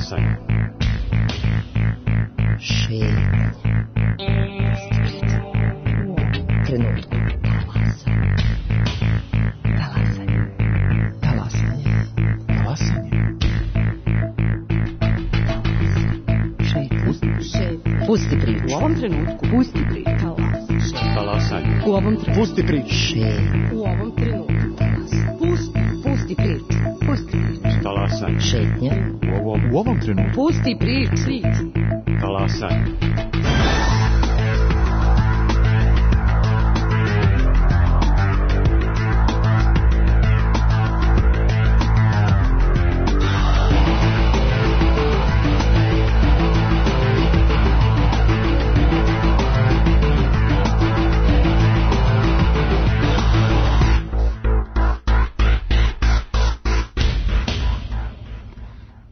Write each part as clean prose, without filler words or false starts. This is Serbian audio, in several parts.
Talasanje. Šetnja. Trenutku. Pusti priču. U ovom trenutku. Pusti priču. Talasanje. U ovom trenutku. Pusti priču. U ovom trenutku. Pusti priču. Pusti priču. Talasanje. Šetnja. U ovom trenutku. Pusti priču. Talasanje.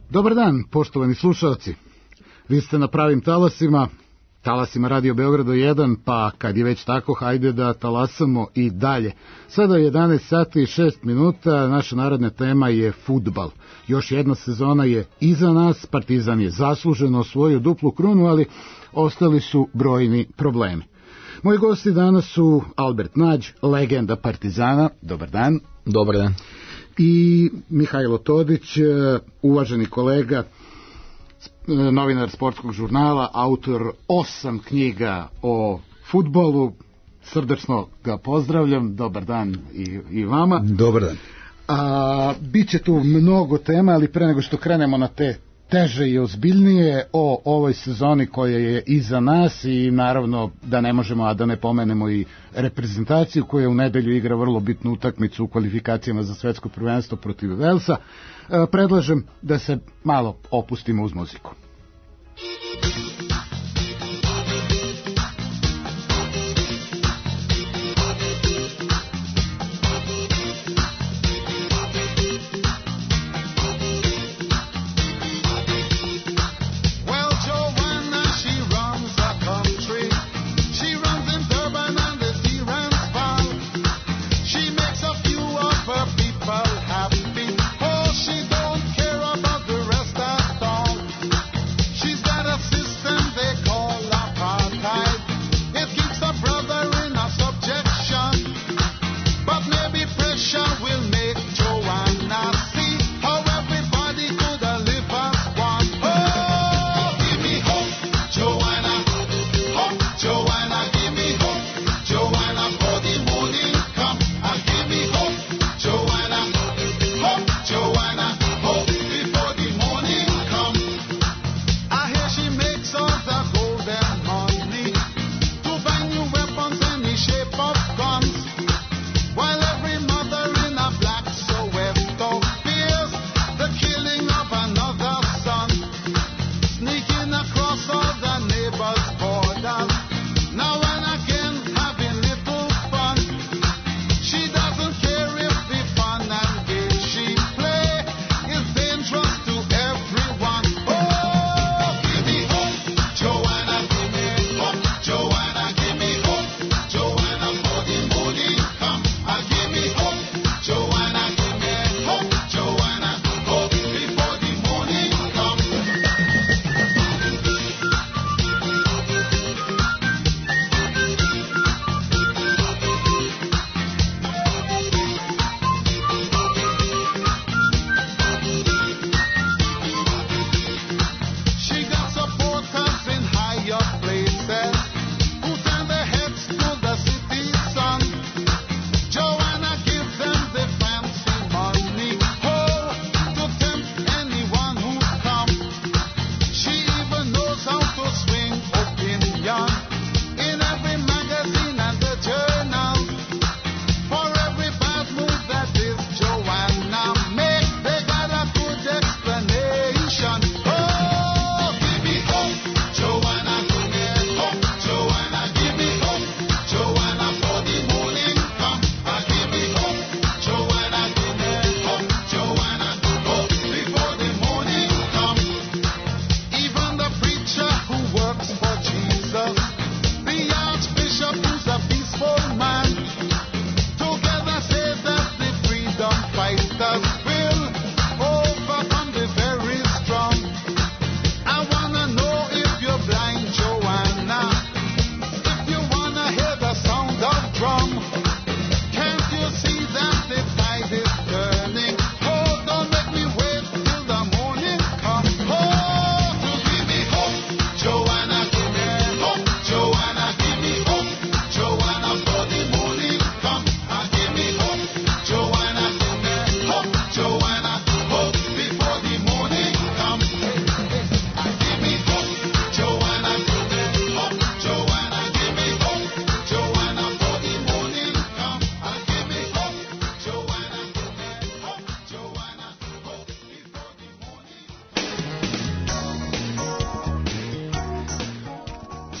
Dobar dan, poštovani slušalci. Vi ste na pravim talasima Radio Beogrado 1, pa kad je već tako, hajde da talasamo i dalje. Sada je 11 sati i 6 minuta, naša narodna tema je fudbal. Još jedna sezona je iza nas, Partizan je zasluženo osvojio duplu krunu, ali ostali su brojni problemi. Moji gosti danas su Albert Nađ, legenda Partizana. Dobar dan. Dobar dan. I Mihajlo Todić, uvaženi kolega, novinar sportskog žurnala, autor 8 knjiga o fudbalu. Srdačno ga pozdravljam, dobar dan i vama. Dobar dan. Biće tu mnogo tema, ali pre nego što krenemo na te teže i ozbiljnije o ovoj sezoni koja je iza nas i naravno da ne možemo, a da ne pomenemo i reprezentaciju koja u nedelju igra vrlo bitnu utakmicu u kvalifikacijama za svetsko prvenstvo protiv Velsa, predlažem da se malo opustimo uz muziku. Sister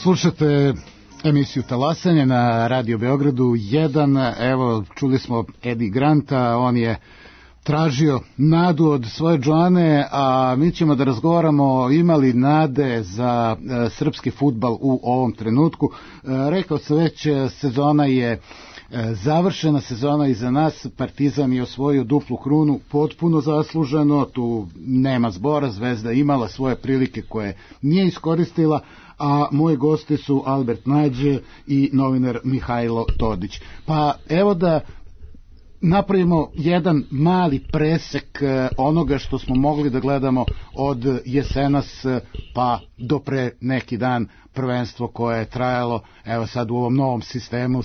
Slušate emisiju Talasanje na Radio Beogradu 1. Evo, čuli smo Eddie Granta, on je tražio nadu od svoje Džoane, a mi ćemo da razgovaramo imali nade za srpski fudbal u ovom trenutku. Rekao sam već, sezona je završena, sezona iza nas, Partizan je osvojio duplu krunu potpuno zasluženo, tu nema zbora, Zvezda imala svoje prilike koje nije iskoristila, a moji gosti su Albert Nađe i novinar Mihajlo Todić. Pa evo da napravimo jedan mali presek onoga što smo mogli da gledamo od jesenas pa do pre neki dan, prvenstvo koje je trajalo evo sad u ovom novom sistemu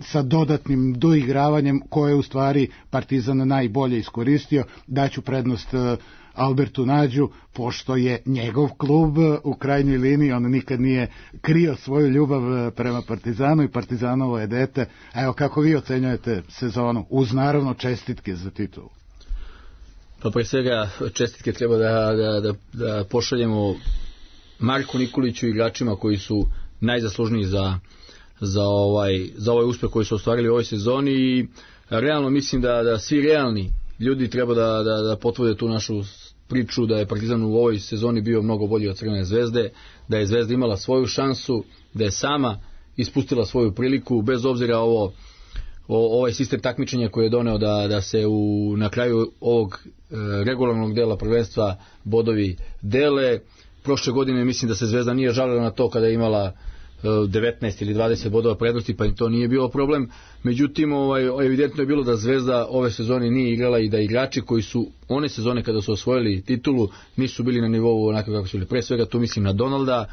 sa dodatnim doigravanjem koje je u stvari Partizan najbolje iskoristio. Daću prednost Albertu Nađu, pošto je njegov klub u krajnjoj liniji, on nikad nije krio svoju ljubav prema Partizanu i Partizanovo je dete. Evo, kako vi ocenjujete sezonu, uz naravno čestitke za titulu? Pa pre svega čestitke treba da pošaljemo Marku Nikoliću i igračima koji su najzaslužniji za ovaj uspeh koji su ostvarili u ovoj sezoni i realno mislim da svi realni ljudi treba da potvrde tu našu priču da je Partizan u ovoj sezoni bio mnogo bolji od Crvene Zvezde, da je Zvezda imala svoju šansu, da je sama ispustila svoju priliku, bez obzira ovaj sistem takmičenja koji je doneo da se na kraju ovog regularnog dela prvenstva bodovi dele. Prošle godine mislim da se Zvezda nije žalila na to kada je imala 19 ili 20 bodova prednosti, pa im to nije bilo problem. Međutim, evidentno je bilo da Zvezda ove sezone nije igrala i da igrači koji su one sezone kada su osvojili titulu nisu bili na nivou onako kako su bili. Pre svega tu mislim na Donalda,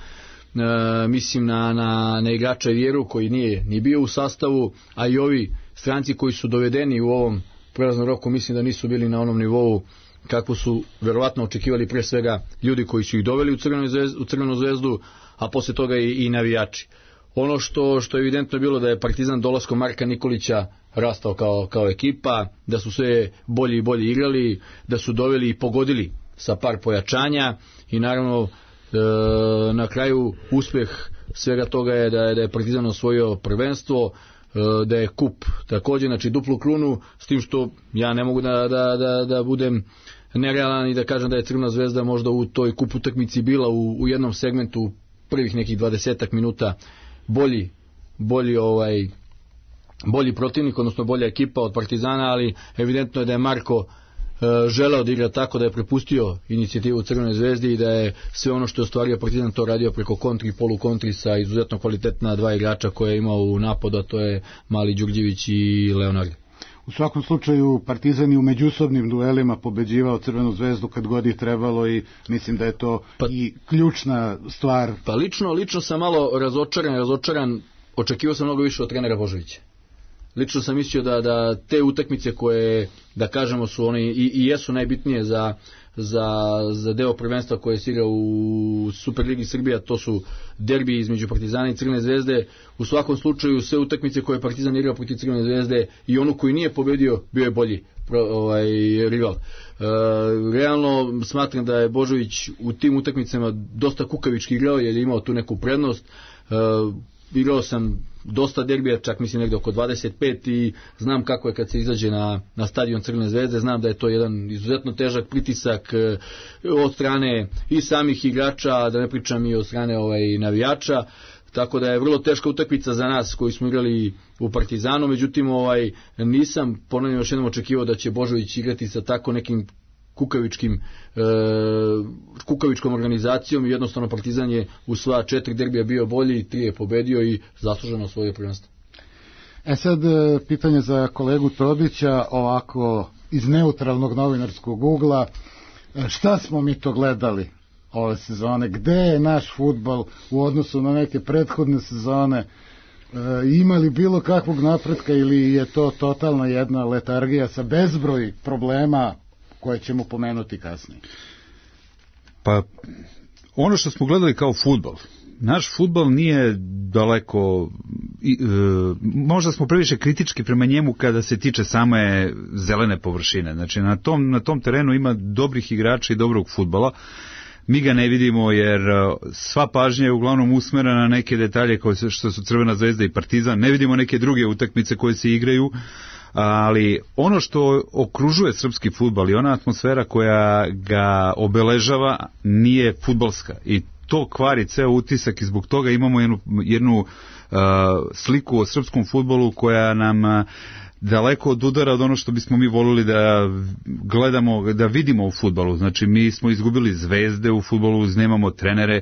mislim na igrača Vjeru koji nije ni bio u sastavu, a i ovi stranci koji su dovedeni u ovom prelaznom roku mislim da nisu bili na onom nivou kako su verovatno očekivali, pre svega ljudi koji su ih doveli u Crvenu Zvezdu, a posle toga i navijači. Ono što je evidentno bilo da je Partizan dolaskom Marka Nikolića rastao kao ekipa, da su sve bolji i bolji igrali, da su doveli i pogodili sa par pojačanja i naravno na kraju uspeh svega toga je da je Partizan osvojio prvenstvo, da je kup također, znači duplu krunu, s tim što ja ne mogu da budem nerealan i da kažem da je Crvena Zvezda možda u toj kup utakmici bila u jednom segmentu prvih nekih 20 minuta bolji protivnik, odnosno bolja ekipa od Partizana, ali evidentno je da je Marko želeo da igra tako da je prepustio inicijativu u Crvenoj Zvezdi i da je sve ono što je ostvario Partizan to radio preko kontri i polukontri sa izuzetno kvalitetna dva igrača koje je imao u napadu, a to je Mali Đurđević i Leonard. U svakom slučaju Partizan je u međusobnim duelima pobeđivao Crvenu Zvezdu kad god je trebalo i mislim da je to i ključna stvar. Pa lično sam malo razočaran, očekivao sam mnogo više od trenera Božovića. Lično sam mislio da te utakmice koje, da kažemo, su one i jesu najbitnije za deo prvenstva koje se igra u Superligi Srbija, to su derbi između Partizana i Crvene Zvezde. U svakom slučaju sve utakmice koje je Partizan igrao protiv Crvene Zvezde i onu koji nije pobedio bio je bolji rival. Realno smatram da je Božović u tim utakmicama dosta kukavički igrao jer je imao tu neku prednost. Igrao sam dosta derbija, čak mislim negdje oko 25 i znam kako je kad se izađe na stadion Crvene Zvezde, znam da je to jedan izuzetno težak pritisak od strane i samih igrača, da ne pričam i od strane navijača, tako da je vrlo teška utakmica za nas koji smo igrali u Partizanu, međutim nisam ponavljam još jednom očekivao da će Božović igrati sa tako nekim kukavičkom organizacijom i jednostavno Partizan je u sva 4 derbija bio bolji, 3 je pobedio i zasluženo svoje prvenstvo. Sad pitanje za kolegu Todića, ovako iz neutralnog novinarskog ugla, šta smo mi to gledali ove sezone, gde je naš fudbal u odnosu na neke prethodne sezone, imali bilo kakvog napretka ili je to totalna jedna letargija sa bezbroj problema koje ćemo pomenuti kasnije? Pa ono što smo gledali kao fudbal, naš fudbal nije daleko, možda smo previše kritički prema njemu kada se tiče same zelene površine. Znači na tom terenu ima dobrih igrača i dobrog fudbala. mi ga ne vidimo jer sva pažnja je uglavnom usmerena na neke detalje što su Crvena zvezda i Partizan, ne vidimo neke druge utakmice koje se igraju, ali ono što okružuje srpski fudbal i ona atmosfera koja ga obeležava nije fudbalska i to kvari ceo utisak i zbog toga imamo jednu sliku o srpskom fudbalu koja nam daleko od udara od ono što bismo mi volili da gledamo, da vidimo u fudbalu. Znači mi smo izgubili zvezde u fudbalu, nemamo trenere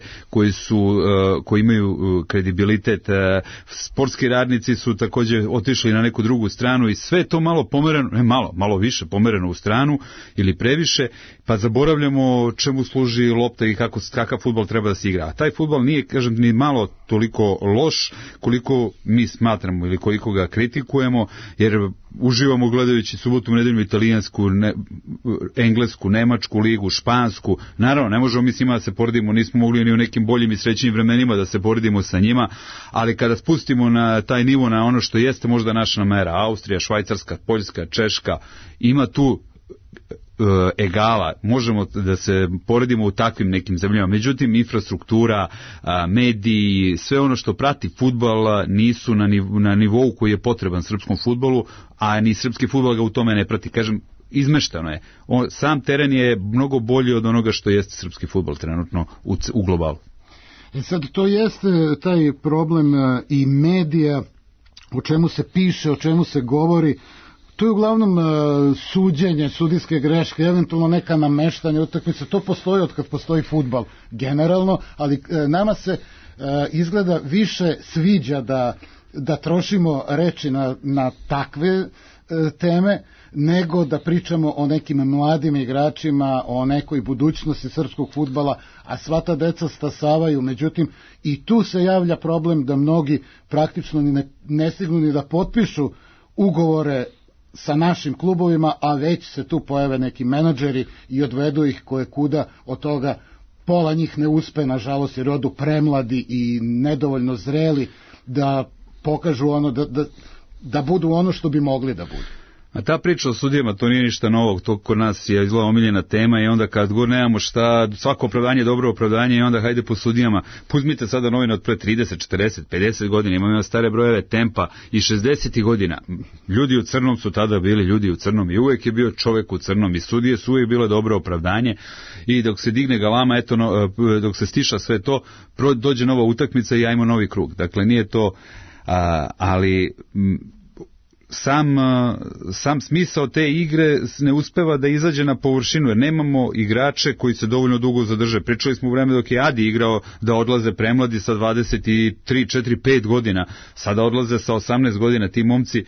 koji imaju kredibilitet, sportski radnici su takođe otišli na neku drugu stranu i sve to malo pomereno, malo više pomereno u stranu ili previše, pa zaboravljamo čemu služi lopta i kakav fudbal treba da se igra. A taj fudbal nije, kažem, ni malo toliko loš koliko mi smatramo ili koliko ga kritikujemo, jer uživamo gledajući subotom, nedeljom italijansku, englesku, nemačku ligu, špansku. Naravno, ne možemo mi s njima da se poredimo, nismo mogli ni u nekim boljim i srećnim vremenima da se poredimo sa njima, ali kada spustimo na taj nivo, na ono što jeste možda naša mera, Austrija, Švajcarska, Poljska, Češka, ima tu egala, možemo da se poredimo u takvim nekim zemljama, međutim infrastruktura, mediji, sve ono što prati fudbal nisu na nivou koji je potreban srpskom fudbalu, a ni srpski fudbal ga u tome ne prati, kažem, izmeštano je. Sam teren je mnogo bolji od onoga što jeste srpski fudbal trenutno u globalu. Sad to jeste taj problem i medija, o čemu se piše, o čemu se govori. To je uglavnom suđenje, sudijske greške, eventualno neka nameštanja utakmice. To postoji od kad postoji fudbal generalno, ali nama se izgleda više sviđa da trošimo reči na takve teme, nego da pričamo o nekim mladim igračima, o nekoj budućnosti srpskog fudbala, a sva ta deca stasavaju. Međutim, i tu se javlja problem da mnogi praktično ne stignu ni da potpišu ugovore sa našim klubovima, a već se tu pojave neki menadžeri i odvedu ih koje kuda, od toga pola njih ne uspe, nažalost, jer odu premladi i nedovoljno zreli da pokažu ono, da budu ono što bi mogli da budu. A ta priča o sudijama, to nije ništa novog, to kod nas je izgleda omiljena tema i onda kad god nemamo šta, svako opravdanje je dobro opravdanje i onda hajde po sudijama. Uzmite sada novine od pre 30, 40, 50 godina, imamo stare brojeve Tempa i 60. godina. Ljudi u crnom su tada bili ljudi u crnom i uvek je bio čovek u crnom i sudije su uvek bilo dobro opravdanje i dok se digne galama, dok se stiša sve to, dođe nova utakmica i ajmo novi krug. Dakle, nije to, ali sam smisao te igre ne uspeva da izađe na površinu, jer nemamo igrače koji se dovoljno dugo zadrže. Pričali smo u vreme dok je Adi igrao da odlaze premladi sa 23, 4, 5 godina, sada odlaze sa 18 godina. Ti momci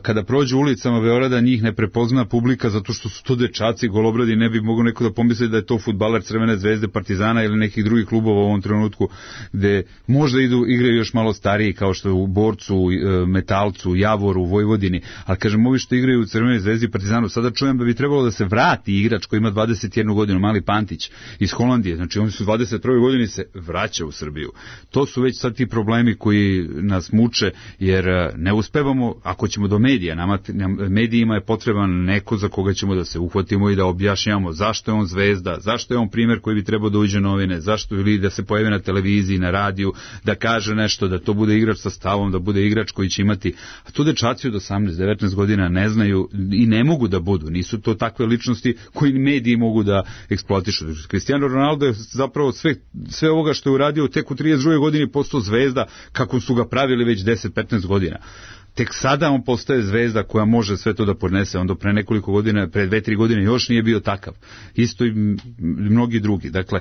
kada prođu ulicama Beograda njih ne prepozna publika zato što su to dečaci golobradi, ne bi mogao neko da pomisli da je to fudbaler Crvene zvezde, Partizana ili nekih drugih klubova u ovom trenutku, gde možda igraju još malo stariji kao što je u Borcu, Metalcu, Javoru, Vojvodini, ali kažem, ovi što igraju u Crvenoj zvezdi i Partizanu, sada čujem da bi trebalo da se vrati igrač koji ima 21 godinu, Mali Pantić iz Holandije, znači oni su 21 godini se vraća u Srbiju. To su već sad ti problemi koji nas muče, jer ne uspevamo, ako ćemo do medija, medijima je potreban neko za koga ćemo da se uhvatimo i da objašnjamo zašto je on zvezda, zašto je on primer koji bi trebao da uđe novine, zašto ili da se pojavi na televiziji, na radiju, da kaže nešto, da to bude igrač sa stavom, da bude igrač koji će imati, a tu dečaci od 18-19 godina ne znaju i ne mogu da budu, nisu to takve ličnosti koji mediji mogu da eksploatišu. Cristiano Ronaldo je zapravo sve ovoga što je uradio tek u 32. godini postao zvezda kako su ga pravili već 10-15 godina. Tek sada on postaje zvezda koja može sve to da podnese, onda pre nekoliko godina, pre 2-3 godine još nije bio takav. Isto i mnogi drugi. Dakle,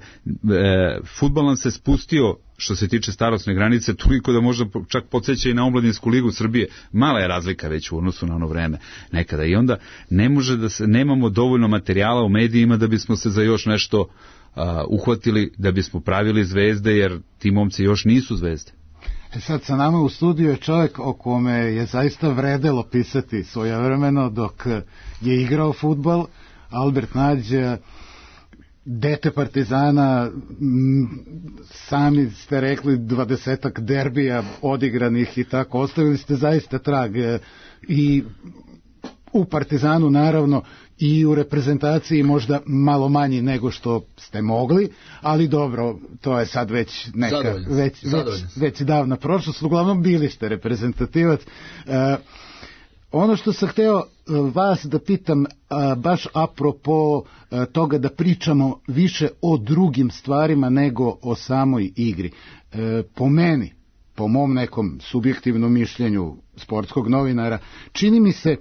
fudbal nam se spustio što se tiče starosne granice toliko da možda čak podsjeća i na omladinsku ligu Srbije. Mala je razlika već u odnosu na ono vreme nekada i onda ne može da se, nemamo dovoljno materijala u medijima da bismo se za još nešto uhvatili, da bismo pravili zvezde, jer ti momci još nisu zvezde. Sad sa nama u studiju je čovjek o kome je zaista vredelo pisati svojevremeno dok je igrao fudbal, Albert Nađ, dete Partizana, sami ste rekli 20-ak derbija odigranih i tako, ostavili ste zaista trag i u Partizanu naravno i u reprezentaciji možda malo manji nego što ste mogli, ali dobro, to je sad već neka već davna prošlost. Uglavnom bili ste reprezentativac. Ono što sam hteo vas da pitam, baš apropo toga da pričamo više o drugim stvarima nego o samoj igri. Po meni, po mom nekom subjektivnom mišljenju sportskog novinara, čini mi se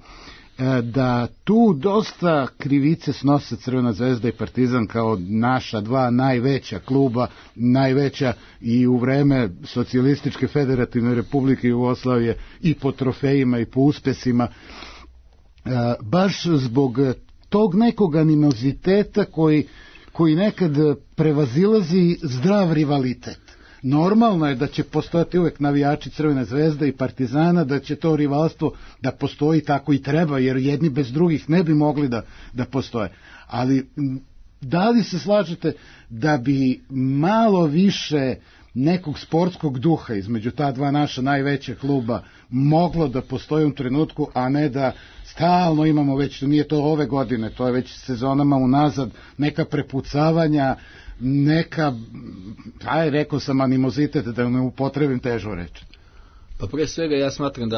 da tu dosta krivice snose Crvena zvezda i Partizan kao naša dva najveća kluba, najveća i u vreme Socijalističke federativne republike Jugoslavije i po trofejima i po uspesima, baš zbog tog nekog animoziteta koji nekad prevazilazi zdrav rivalitet. Normalno je da će postojati uvek navijači Crvene zvezde i Partizana, da će to rivalstvo da postoji, tako i treba, jer jedni bez drugih ne bi mogli da postoje. Ali da li se slažete da bi malo više nekog sportskog duha između ta dva naša najveća kluba moglo da postoji u trenutku, a ne da stalno imamo već, nije to ove godine, to je već sezonama unazad, neka prepucavanja, neka, rekao sam animozitet, da ne upotrebim težu reč. Pa pre svega ja smatram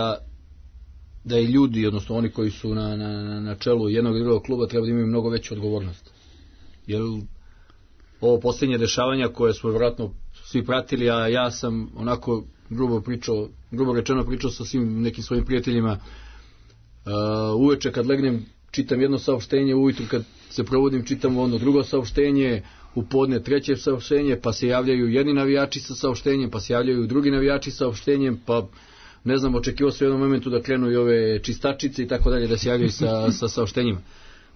da i ljudi, odnosno oni koji su na čelu jednog i drugog kluba, treba da imaju mnogo veću odgovornost. Jer ovo posljednje dešavanja koje smo vjerojatno svi pratili, a ja sam onako grubo rečeno pričao sa svim nekim svojim prijateljima, uveče kad legnem čitam jedno saopštenje, ujutru kad se provodim čitam ono drugo saopštenje, u podne treće saopštenje, pa se javljaju jedni navijači sa saopštenjem, pa se javljaju drugi navijači sa saopštenjem, pa ne znam, očekivao se u jednom momentu da krenu i ove čistačice i tako dalje, da se javljaju sa saopštenjima.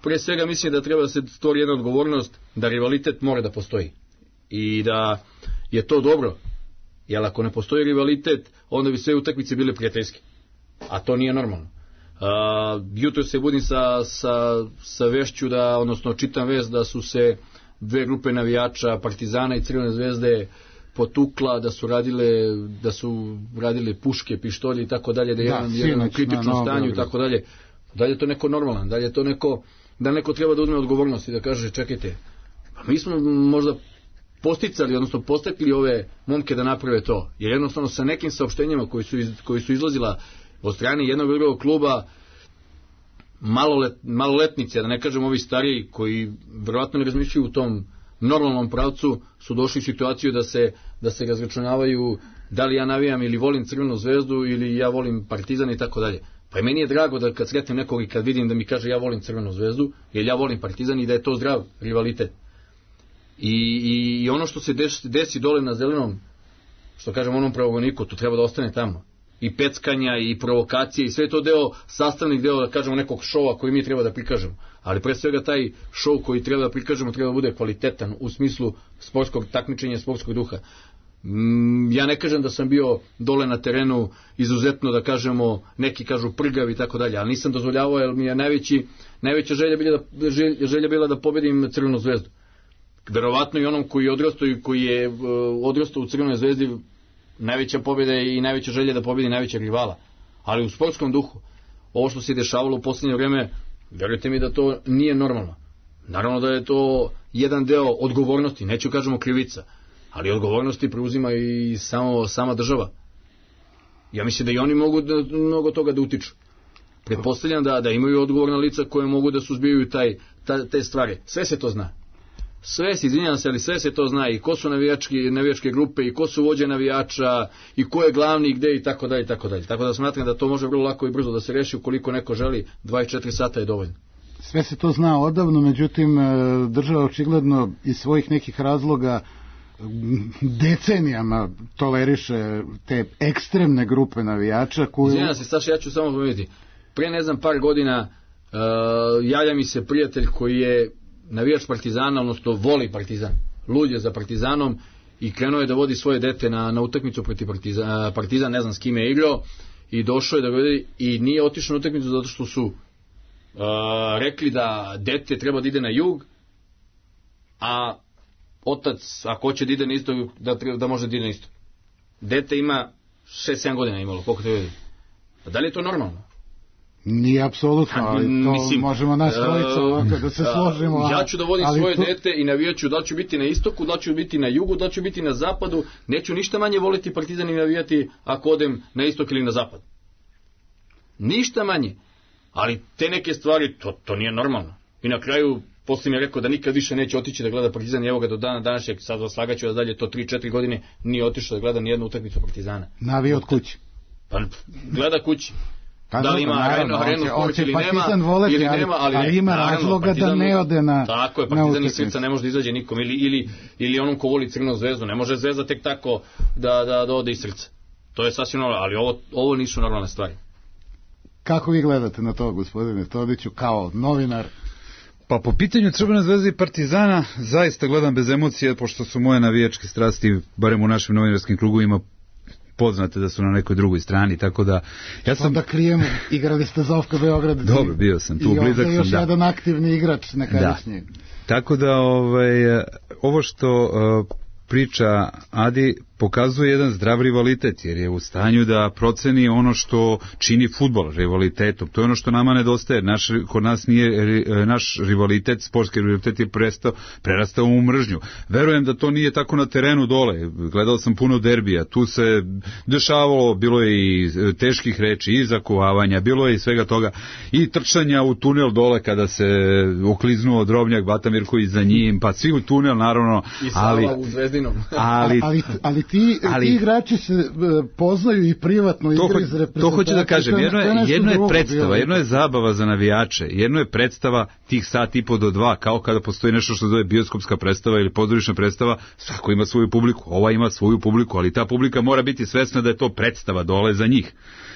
Prije svega mislim da treba da se stvori jedna odgovornost, da rivalitet mora da postoji i da je to dobro, jer ako ne postoji rivalitet, onda bi sve utakmice bile prijateljske, a to nije normalno. Jutro se budim sa vešću odnosno čitam vest da su se dve grupe navijača Partizana i Crvene zvezde potukla, da su radile puške, pištolje i tako dalje, da je jedan u kritičnom stanju i tako dalje. Da li je to neko normalan, da li je to neko treba da uzme odgovornost i da kaže čekajte, mi smo možda posticali, odnosno postakli ove momke da naprave to, jer jednostavno sa nekim saopštenjima koji su izlazila od strane jednog i drugog kluba, maloletnici, da ne kažem ovi stariji koji verovatno ne razmišljaju u tom normalnom pravcu, su došli u situaciju da se razračunavaju da li ja navijam ili volim Crvenu zvezdu ili ja volim Partizan i tako dalje. Pa i meni je drago da kad sretnem nekog i kad vidim da mi kaže ja volim Crvenu zvezdu, jer ja volim Partizan i da je to zdrav rivalitet. I ono što se desi dole na zelenom, što kažem onom pravogoniku, to treba da ostane tamo. I peckanja i provokacije i sve to sastavnih deo, da kažemo, nekog šova koji mi treba da prikažemo. Ali pre svega taj šov koji treba da prikažemo treba da bude kvalitetan u smislu sportskog takmičenja, sportskog duha. Ja ne kažem da sam bio dole na terenu izuzetno, da kažemo, neki kažu prgav i tako dalje, ali nisam dozvoljavao, jer mi je najveća želja bila da pobedim Crvenu zvezdu. Verovatno i onom koji je odrastao u Crvenoj zvezdi, najveća pobjeda i najveća želja da pobjedi najvećeg rivala. Ali u sportskom duhu, ovo što se dešavalo u posljednje vreme, verujte mi da to nije normalno. Naravno da je to jedan deo odgovornosti, neću kažemo krivica, ali odgovornosti preuzima i sama država. Ja mislim da i oni mogu mnogo toga da utiču. Pretpostavljam da imaju odgovorna lica koje mogu da suzbijaju te stvari. Sve se to zna. Sve se to zna, i ko su navijačke grupe, i ko su vođe navijača, i ko je glavni, i gde, i tako dalje, i tako dalje. Tako da smatram da to može vrlo lako i brzo da se reši, ukoliko neko želi, 24 sata je dovoljno. Sve se to zna odavno, međutim država očigledno iz svojih nekih razloga decenijama toleriše te ekstremne grupe navijača koji... Izvinjam se, Saša, ja ću samo pomenuti. Pre ne znam par godina javlja mi se prijatelj koji je navijač Partizana, odnosno voli Partizan, lud je za Partizanom i krenuo je da vodi svoje dete na utakmicu protiv Partizan, ne znam s kime je igrao, i došao je da vodi i nije otišao na utakmicu zato što su rekli da dete treba da ide na jug, a otac, ako hoće da ide na isto, da može da ide na isto. Dete ima 6-7 godina imalo, koliko te vidi. A da li je to normalno? Nije apsolutno, ali to Mislim, možemo nas trojica ovako da se složimo. Ja ću da vodim ali svoje to- dete i navijaću da ću biti na istoku, da ću biti na jugu, da ću biti na zapadu, neću ništa manje voliti Partizan i navijati ako odem na istok ili na zapad. Ništa manje. Ali te neke stvari, to nije normalno. I na kraju, poslije mi je rekao da nikad više neće otići da gleda Partizan i evo ga do dana današnjeg, sad vas slagaću da dalje to 3-4 godine nije otišao da gleda ni jednu utakmicu Partizana. Navije od kuće. Pa gleda kući. Pa Da li dobro, ima naravno, arenu hoće- sport hoće ili Partizan nema, voleti, ili ali- nema, ali ima naravno, razloga da Partizan- ne ode na- Tako je, na Partizan iz utakmicu. srca ne može da izađe nikom, ili onom ko voli Crvenu zvezdu, ne može zvezda tek tako da ode iz srca. To je sasvim normalno, ali ovo nisu normalne stvari. Kako vi gledate na to, gospodine Todiću, kao novinar? Pa po pitanju Crvene zvezde i Partizana zaista gledam bez emocije, pošto su moje navijačke strasti, barem u našim novinarskim krugovima, poznate da su na nekoj drugoj strani, tako da ja sam... Onda krijemo, igrali ste za OFK Beograd. Dobro, bio sam tu, I blizak ovdje sam, još da. jedan aktivni igrač nekadašnji. Tako da ovo što priča Adi pokazuje jedan zdrav rivalitet, jer je u stanju da proceni ono što čini fudbal rivalitetom. To je ono što nama nedostaje. Kod nas nije naš rivalitet, sportski rivalitet je prerastao u mržnju. Verujem da to nije tako na terenu dole. Gledao sam puno derbija. Tu se dešavalo, bilo je i teških reči, i zakovavanja, bilo je i svega toga, i trčanja u tunel dole kada se okliznuo Drobnjak, Batamirković za njim, pa svi u tunel, naravno. I Sava u Zvezdinom. Ali ti igrači se poznaju i privatno igraju iz reprezentacije. To hoću da kažem, jedno je predstava, bilo. jedno je zabava za navijače, jedno je predstava tih sat i po do 2, kao kada postoji nešto što se zove bioskopska predstava ili pozorišna predstava, svako ima svoju publiku, ova ima svoju publiku, ali ta publika mora biti svesna da je to predstava dole za njih.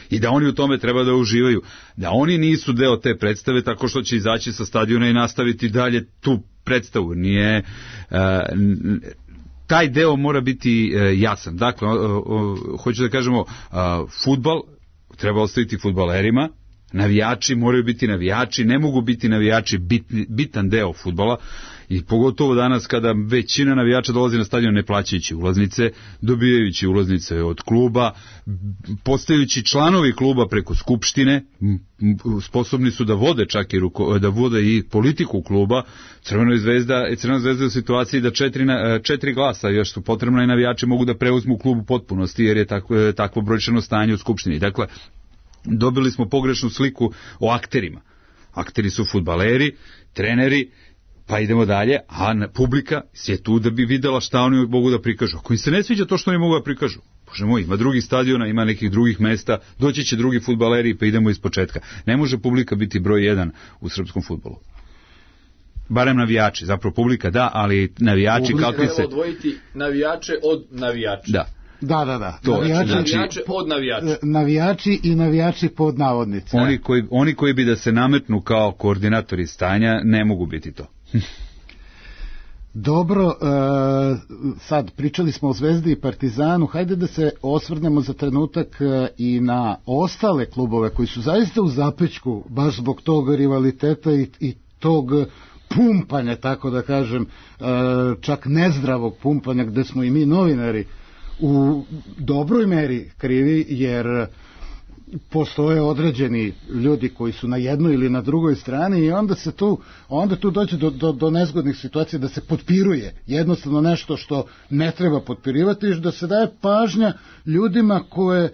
I da oni u tome treba da uživaju. Da oni nisu deo te predstave tako što će izaći sa stadiona i nastaviti dalje tu predstavu. Nije... taj deo mora biti jasan. Dakle, hoću da kažemo, fudbal treba ostaviti fudbalerima, navijači moraju biti navijači, ne mogu biti navijači bitan deo fudbala, i pogotovo danas kada većina navijača dolazi na stadion ne plaćajući ulaznice, dobijajući ulaznice od kluba, postajući članovi kluba preko skupštine, sposobni su da vode čak i da vode i politiku kluba. Crvena zvezda je u situaciji da 4 glasa još su potrebna i navijači mogu da preuzmu klub u potpunosti, jer je takvo brojčano stanje u skupštini. Dakle, dobili smo pogrešnu sliku o akterima. Akteri su fudbaleri, treneri, pa idemo dalje, a publika je tu da bi videla šta oni mogu da prikažu. Ako im se ne sviđa to što oni mogu da prikažu, Bože moj, ima drugih stadiona, ima nekih drugih mesta, doći će drugi fudbaleri, pa idemo iz početka. Ne može publika biti broj 1 u srpskom fudbalu. Barem navijači, zapravo publika da, ali navijači kakvi se... Treba odvojiti navijače od navijača. Da. Da. To, navijače od navijača. Navijači i navijači pod navodnicima. Oni koji bi da se nametnu kao koordinatori stanja ne mogu biti to. Dobro, sad pričali smo o Zvezdi i Partizanu, hajde da se osvrnemo za trenutak i na ostale klubove koji su zaista u zapećku baš zbog tog rivaliteta i tog pumpanja, tako da kažem, čak nezdravog pumpanja, gde smo i mi novinari u dobroj meri krivi, jer postoje određeni ljudi koji su na jednoj ili na drugoj strani i onda tu dođe do nezgodnih situacija da se potpiruje jednostavno nešto što ne treba potpirivati i da se daje pažnja ljudima koje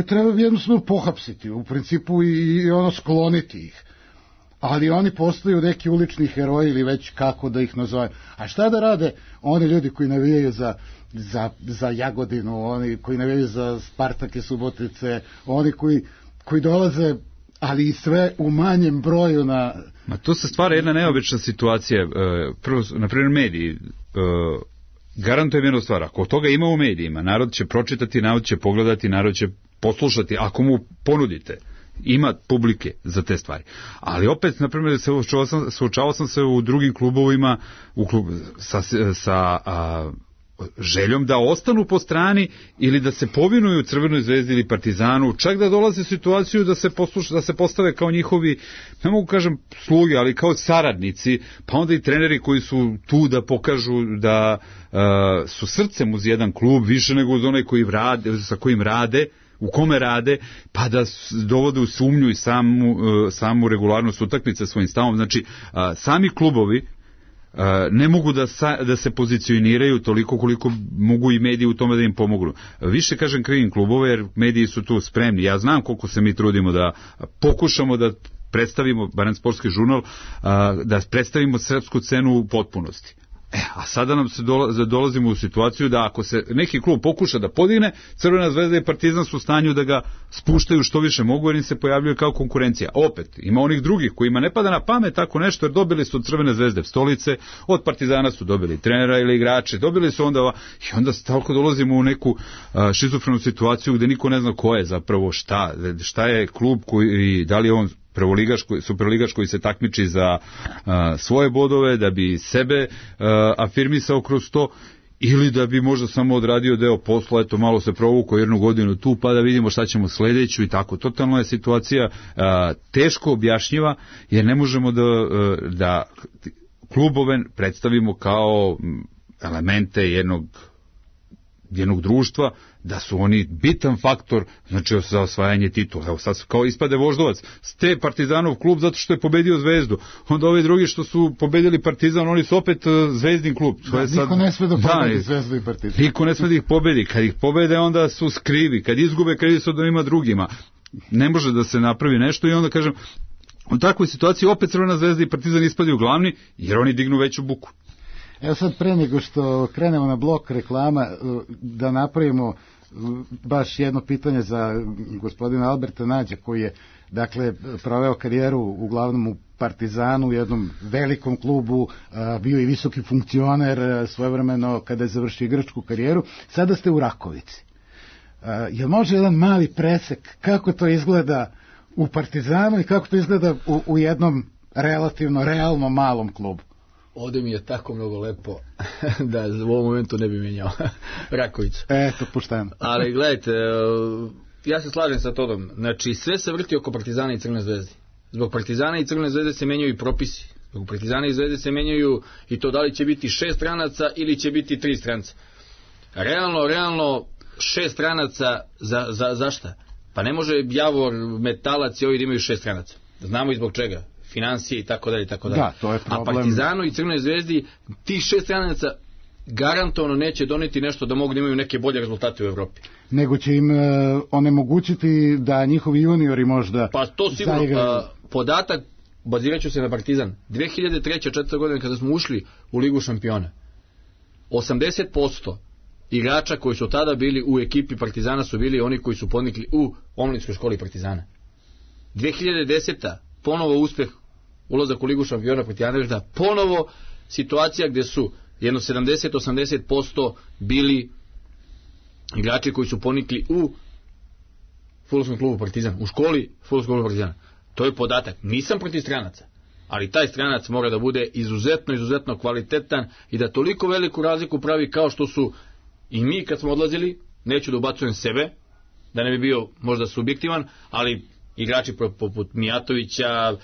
treba jednostavno pohapsiti u principu i skloniti ih. Ali oni postaju neki ulični heroji ili već kako da ih nazovem. A šta da rade oni ljudi koji navijaju za Jagodinu, oni koji navijaju za Spartak i Subotice, oni koji dolaze, ali i sve u manjem broju na... Ma to se stvara jedna neobična situacija. Prvo, na primjer, mediji. Garantujem jednu stvar, ako toga ima u medijima, narod će pročitati, narod će pogledati, narod će poslušati, ako mu ponudite. Ima publike za te stvari. Ali opet, na primjer, suočavao sam se u drugim klubovima sa željom da ostanu po strani ili da se povinuju Crvenoj zvezdi ili Partizanu, čak da dolaze u situaciju da se postave kao njihovi, ne mogu kažem sluge, ali kao saradnici, pa onda i treneri koji su tu da pokažu da su srcem uz jedan klub više nego uz onaj sa kojim rade, u kome rade, pa da dovode u sumnju i samu regularnost utakmice svojim stavom. Znači, sami klubovi ne mogu da se pozicioniraju toliko koliko mogu i mediji u tome da im pomognu. Više, kažem, krivim klubove, jer mediji su tu spremni. Ja znam koliko se mi trudimo da pokušamo da predstavimo, barem Sportski žurnal, da predstavimo srpsku scenu u potpunosti. A sada nam se dolazimo u situaciju da ako se neki klub pokuša da podigne, Crvena zvezda i Partizan su u stanju da ga spuštaju što više mogu, jer im se pojavljuje kao konkurencija. Opet, ima onih drugih kojima ne pada na pamet tako nešto, jer dobili su od Crvene zvezde stolice, od Partizana su dobili trenera ili igrače, dobili su onda i onda stalko dolazimo u neku šizofrenu situaciju gde niko ne zna ko je zapravo šta je klub koji, da li je on superligaš koji se takmiči za svoje bodove, da bi sebe afirmisao kroz to, ili da bi možda samo odradio deo posla, eto malo se provukao 1 godinu tu, pa da vidimo šta ćemo sledeću i tako. Totalno je situacija teško objašnjiva, jer ne možemo da klubove predstavimo kao elemente jednog društva, da su oni bitan faktor, znači za osvajanje titula. Evo sad kao ispade Voždovac, ste Partizanov klub zato što je pobedio Zvezdu, onda ovi drugi što su pobedili Partizan, oni su opet Zvezdin klub. Niko ne sme da pobedi Zvezdu i Partizan. Niko ne sme da ih pobedi, kad ih pobede onda su skrivi, kad izgube krivi su da ima drugima. Ne može da se napravi nešto i onda kažem, u takvoj situaciji opet Crvena zvezda i Partizan ispadaju glavni, jer oni dignu veću buku. Evo sad, pre nego što krenemo na blok reklama, da napravimo baš jedno pitanje za gospodina Alberta Nađa, koji je, dakle, proveo karijeru uglavnom u Partizanu, u jednom velikom klubu, bio i visoki funkcioner svojevremeno kada je završio igračku karijeru. Sada ste u Rakovici. Jel može jedan mali presek kako to izgleda u Partizanu i kako to izgleda u jednom relativno, realno malom klubu? Ovde mi je tako mnogo lepo da u ovom momentu ne bi menjao Rakovicu. Eto, pušteno. Ali gledajte, ja se slažem sa Todom. Znači, sve se vrti oko Partizana i Crvene zvezde. Zbog Partizana i Crvene zvezde se menjaju i propisi. Zbog Partizana i Zvezde se menjaju i to da li će biti 6 stranaca ili će biti 3 stranca. Realno 6 stranaca za šta? Pa ne može Javor, Metalac i ovi da imaju 6 stranaca. Znamo i zbog čega. Financije i tako dalje. Da, to je problem. A Partizanu i Crvenoj zvezdi tih 6 stranaca garantovano neće doneti nešto da mogu da imaju neke bolje rezultate u Evropi. Nego će im onemogućiti da njihovi juniori možda... Pa to sigurno. Podatak, bazirat ću se na Partizan. 2003-2004 godine kada smo ušli u Ligu šampiona, 80% igrača koji su tada bili u ekipi Partizana su bili oni koji su podnikli u omladinskoj školi Partizana. 2010. ponovo uspeh, ulazak u Ligu šampiona protiv Anderlehta, ponovo situacija gde su jedno 70-80% bili igrači koji su ponikli u fudbalskom klubu Partizan, u školi fudbalskog kluba Partizana. To je podatak. Nisam protiv stranaca, ali taj stranac mora da bude izuzetno kvalitetan i da toliko veliku razliku pravi kao što su i mi kad smo odlazili. Neću da ubacujem sebe, da ne bi bio možda subjektivan, ali igrači poput Mijatovića,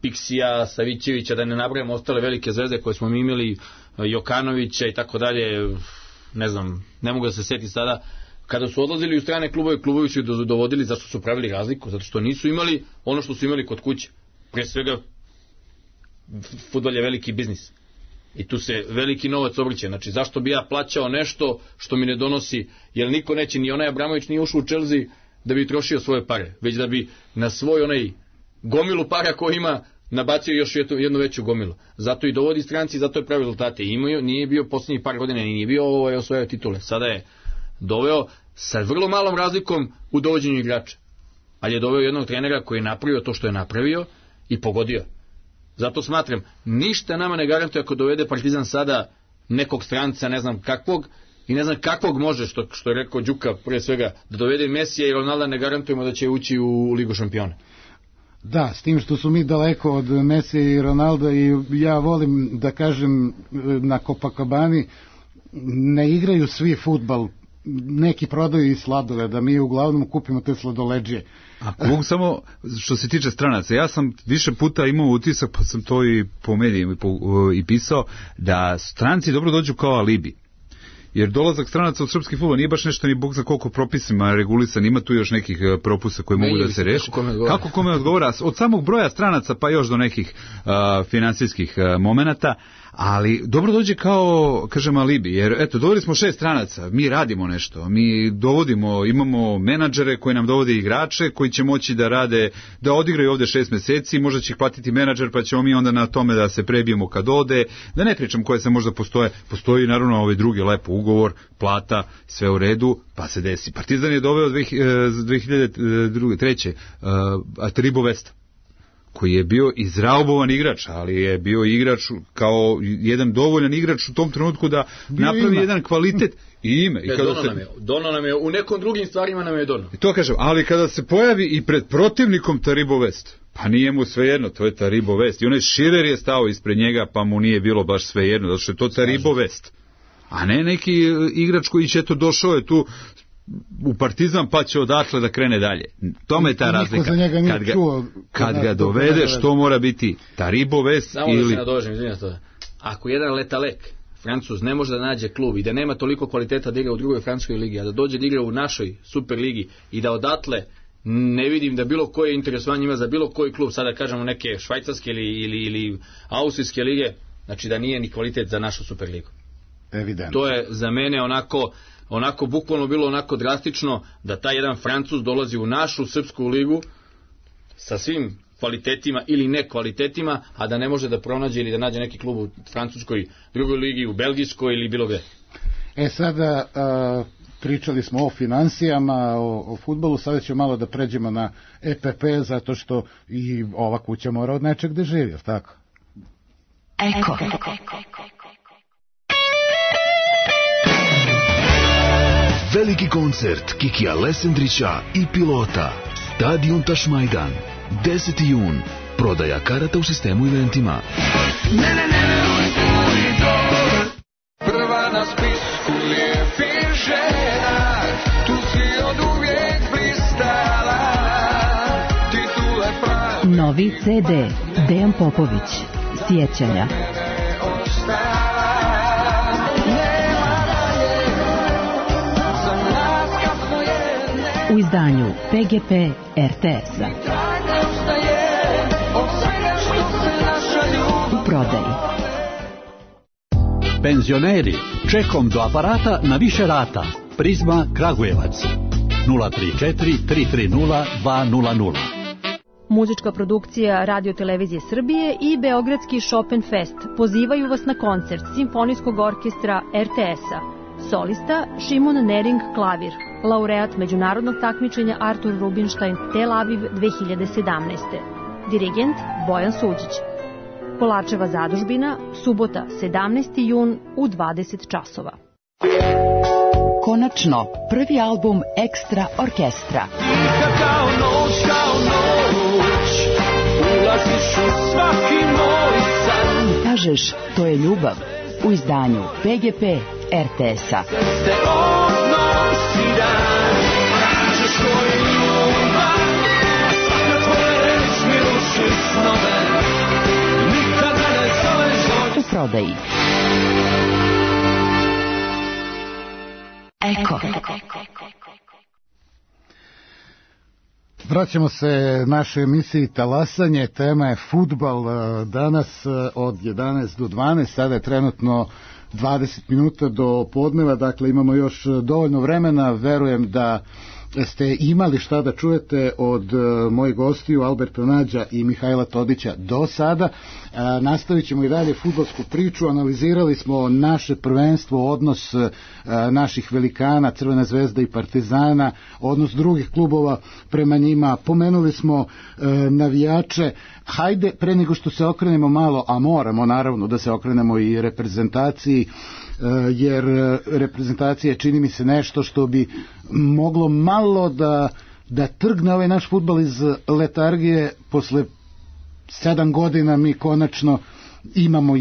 Piksija, Savićevića, da ne nabrajamo ostale velike zvezde koje smo mi imali, Jokanovića i tako dalje, ne znam, ne mogu da se seti sada. Kada su odlazili u strane klubove, klubovi su ih dovodili. Zašto su pravili razliku? Zato što nisu imali ono što su imali kod kuće. Pre svega, fudbal je veliki biznis i tu se veliki novac obrće. Znači, zašto bi ja plaćao nešto što mi ne donosi, jer niko neće, ni onaj Abramović nije ušao u Chelsea da bi trošio svoje pare, već da bi na svoj onaj gomilu para koji ima nabacio još jednu veću gomilu. Zato i dovodi stranci, zato je pravi rezultate. Nije bio posljednjih par godina, nije bio osvojio titule. Sada je doveo sa vrlo malom razlikom u dovođenju igrača. Ali je doveo jednog trenera koji je napravio to što je napravio i pogodio. Zato smatram, ništa nama ne garantuje ako dovede Partizan sada nekog stranca, ne znam kakvog, i ne znam kakvog može, što je rekao Đuka prije svega, da dovede Mesija i Ronalda, ne garantujemo da će ući u Ligu šampiona. Da, s tim što su mi daleko od Mesija i Ronalda, i ja volim da kažem, na Copacabani ne igraju svi fudbal, neki prodaju i sladoled, da mi uglavnom kupimo te sladoleđije. A samo što se tiče stranaca, ja sam više puta imao utisak, pa sam to i po medijima i pisao, da stranci dobro dođu kao alibi. jer dolazak stranaca u srpski fudbal nije baš nešto ni bog za koliko propisima regulisan, ima tu još nekih propusta koji mogu da se reši. Kako kome odgovara, od samog broja stranaca pa još do nekih finansijskih momenata, ali dobro dođe kao, kažem, alibi, jer eto, dovodili smo 6 stranaca, mi radimo nešto, mi dovodimo, imamo menadžere koji nam dovode igrače, koji će moći da rade, da odigraju ovde 6 meseci, možda će ih platiti menadžer, pa ćemo mi onda na tome da se prebijemo kad ode, da ne pričam koje se možda postoji naravno ovaj drugi lepo ugovor, plata, sve u redu, pa se desi. Partizan je doveo 2003. Taribo Vesta, koji je bio izraubovan igrač, ali je bio igrač kao jedan dovoljan igrač u tom trenutku da napravi jedan kvalitet i ime. I Dono nam je, u nekom drugim stvarima nam je Dono. I to kažem, ali kada se pojavi i pred protivnikom Taribo Vest, pa nije mu svejedno, to je Taribo Vest. I onaj Širer je stao ispred njega, pa mu nije bilo baš svejedno, zato što je to Taribo Vest. A ne neki igrač koji će to došao je tu u Partizan pa će odatle da krene dalje. Tome je ta razlika. Kad ga dovedeš, to mora biti Taribo Vest ili... Samo da se nadožem, izvinjam to. Ako jedan Letalek, Francuz, ne može da nađe klub i da nema toliko kvaliteta da igra u drugoj francuskoj ligi, a da dođe da igra u našoj super ligi i da odatle ne vidim da bilo koje interesovanje ima za bilo koji klub, sada kažemo neke švajcarske ili austrijske lige, znači da nije ni kvalitet za našu super ligu. Evidentno. To je za mene onako bukvalno bilo onako drastično da taj jedan Francuz dolazi u našu srpsku ligu sa svim kvalitetima ili nekvalitetima, a da ne može da pronađe ili da nađe neki klub u francuskoj drugoj ligi, u belgijskoj ili bilo gde. Sada pričali smo o finansijama, o fudbalu, sada ćemo malo da pređemo na EPP, zato što i ova kuća mora od nečeg da živi, tako? Eko. Veliki koncert Kikija Lesendrića i Pilota. Stadion Tašmajdan. 10. jun. Prodaja karata u sistemu eventima. Prva na spisku lijepih žena, tu si od uvijek blistala, titule pravi. Novi CD Dejan Popović. Sjećanja. U izdanju PGP RTS-a. U prodaji. Penzioneri, čekom do aparata na više rata. Prizma Kragujevac. 034 330 200. Muzička produkcija Radio Televizije Srbije i Beogradski Chopin Fest pozivaju vas na koncert Simfonijskog orkestra RTS-a. Solista Šimon Nering klavir, laureat međunarodnog takmičenja Artur Rubinstein Tel Aviv 2017. Dirigent Bojan Suđić. Kolarčeva zadužbina, subota 17. jun u 20 časova. Konačno, prvi album Ekstra orkestra. Kao noć, ulaziš u svaki moj san. Kažeš, to je ljubav. U izdanju PGP RTS-a. Ste odnosi dan, kažeš to je ljubav, svaka tvoja reč mi ruši snove, nikada ne zoveš u prodaji. Eko. Vraćamo se našoj emisiji Talasanje, tema je fudbal danas od 11 do 12, sada je trenutno 20 minuta do podneva, dakle imamo još dovoljno vremena, verujem da ste imali šta da čujete od mojih gostiju Alberta Nađa i Mihajla Todića do sada. Nastavit ćemo i dalje fudbalsku priču, analizirali smo naše prvenstvo, odnos naših velikana, Crvena zvezda i Partizana, odnos drugih klubova prema njima, pomenuli smo navijače. Hajde, pre nego što se okrenemo malo, a moramo naravno da se okrenemo i reprezentaciji, jer reprezentacija čini mi se nešto što bi moglo malo da trgne ovaj naš fudbal iz letargije. Posle 7 godina mi konačno imamo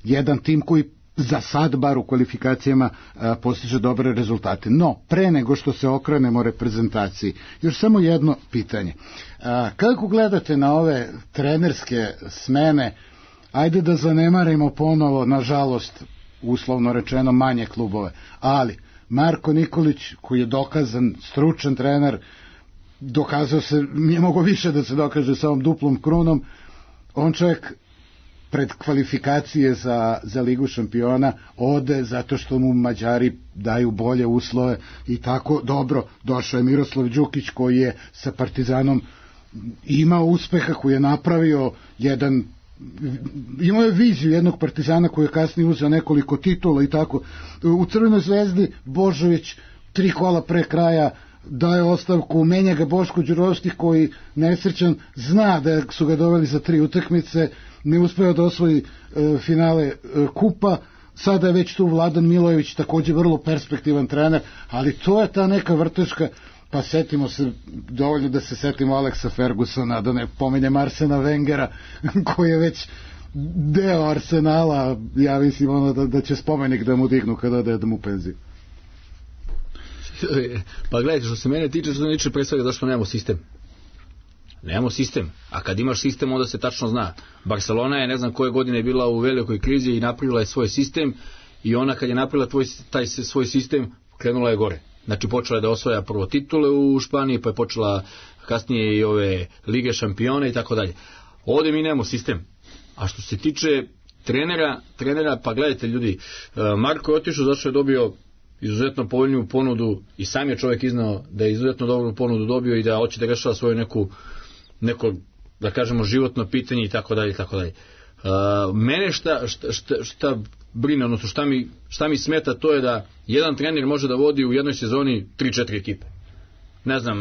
jedan tim koji za sad bar u kvalifikacijama postiže dobre rezultate. No, pre nego što se okrenemo reprezentaciji, još samo jedno pitanje. Kako gledate na ove trenerske smene? Ajde da zanemarimo ponovo, nažalost, uslovno rečeno manje klubove. Ali Marko Nikolić, koji je dokazan stručan trener, dokazao se, nije mogo više da se dokaže sa ovom duplom krunom, on čovjek pred kvalifikacije za Ligu šampiona ode zato što mu Mađari daju bolje uslove i tako. Dobro, došao je Miroslav Đukić koji je sa Partizanom imao uspeha, koji je napravio imao je viziju jednog Partizana koji je kasnije uzeo nekoliko titula i tako. U Crvenoj zvezdi Božović 3 kola pre kraja daje ostavku, menja ga Boško Đurovski koji nesrećan zna da su ga doveli za 3 utakmice, ne uspeo da osvoji finale kupa. Sada je već tu Vladan Milojević, takođe vrlo perspektivan trener, ali to je ta neka vrteška. Pa setimo se, dovoljno da se setimo Alexa Fergusona, da ne pomenjem Arsena Wengera koji je već deo Arsenala. Ja mislim da će spomenik da mu dignu kada ode da mu penziju. Pa gledajte, što se mene tiče, što se tiče pre svega zašto nemamo sistem. Nemamo sistem, a kad imaš sistem onda se tačno zna. Barcelona je ne znam koje godine bila u velikoj krizi i napravila je svoj sistem i ona kad je napravila taj svoj sistem krenula je gore. Znači počela je da osvaja prvo titule u Španiji, pa je počela kasnije i ove Lige šampiona i tako dalje. Ovdje mi nemamo sistem. A što se tiče trenera, pa gledajte ljudi, Marko je otišao zato što je dobio izuzetno povoljniju ponudu i sam je čovjek iznao da je izuzetno dobru ponudu dobio i da hoće da rešava svoje neko da kažemo životno pitanje i tako dalje i tako dalje. Mene šta brine, odnosno šta mi smeta, to je da jedan trener može da vodi u jednoj sezoni 3-4 ekipe. Ne znam,